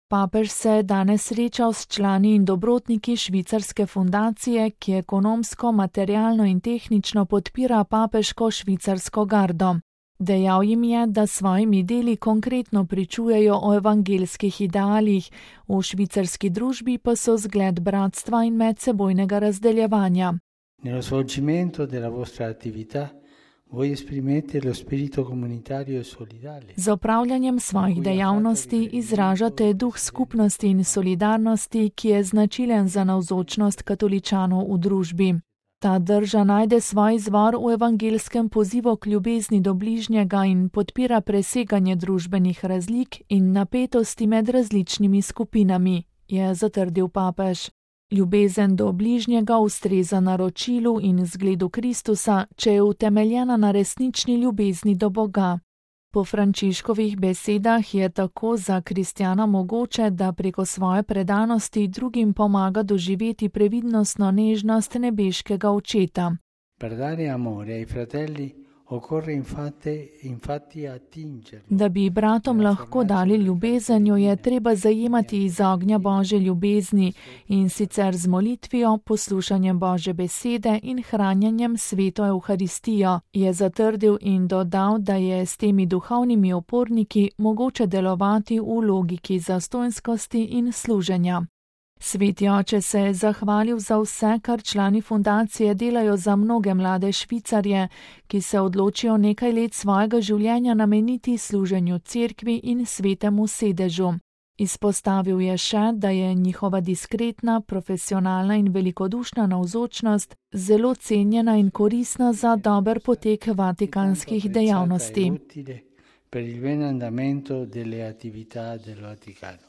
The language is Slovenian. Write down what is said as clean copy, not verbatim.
Papež se je danes srečal s člani in dobrotniki švicarske fundacije, ki ekonomsko, materialno in tehnično podpira papeško švicarsko gardo. Dejal jim je, da svojimi deli konkretno pričujejo o evangeljskih idealih, v švicarski družbi pa so zgled bratstva in medsebojnega razdeljevanja. Nello svolgimento della vostra attività voi esprimete lo spirito comunitario e solidale. Z opravljanjem svojih dejavnosti izražate duh skupnosti in solidarnosti, ki je značilen za navzočnost katoličanov v družbi. Ta drža najde svoj izvor v evangeljskem pozivu k ljubezni do bližnjega in podpira preseganje družbenih razlik in napetosti med različnimi skupinami, je zatrdil papež. Ljubezen do bližnjega ustreza naročilu in zgledu Kristusa, če je utemeljena na resnični ljubezni do Boga. Po Frančiškovih besedah je tako za kristjana mogoče, da preko svoje predanosti drugim pomaga doživeti previdnostno nežnost nebeškega očeta. Per dare amore ai fratelli occorre infatti attingerli. Da bi bratom lahko dali ljubezen, jo je treba zajemati iz ognja Božje ljubezni, in sicer z molitvijo, poslušanjem Božje besede in hranjenjem sveto Evharistijo, je zatrdil in dodal, da je s temi duhovnimi oporniki mogoče delovati v logiki zastonjskosti in služenja. Sveti oče se je zahvalil za vse, kar člani fundacije delajo za mnoge mlade Švicarje, ki se odločijo nekaj let svojega življenja nameniti služenju cerkvi in svetemu sedežu. Izpostavil je še, da je njihova diskretna, profesionalna in velikodušna navzočnost zelo cenjena in koristna za dober potek vatikanskih dejavnosti. Per il bene andamento delle attività del Vaticano.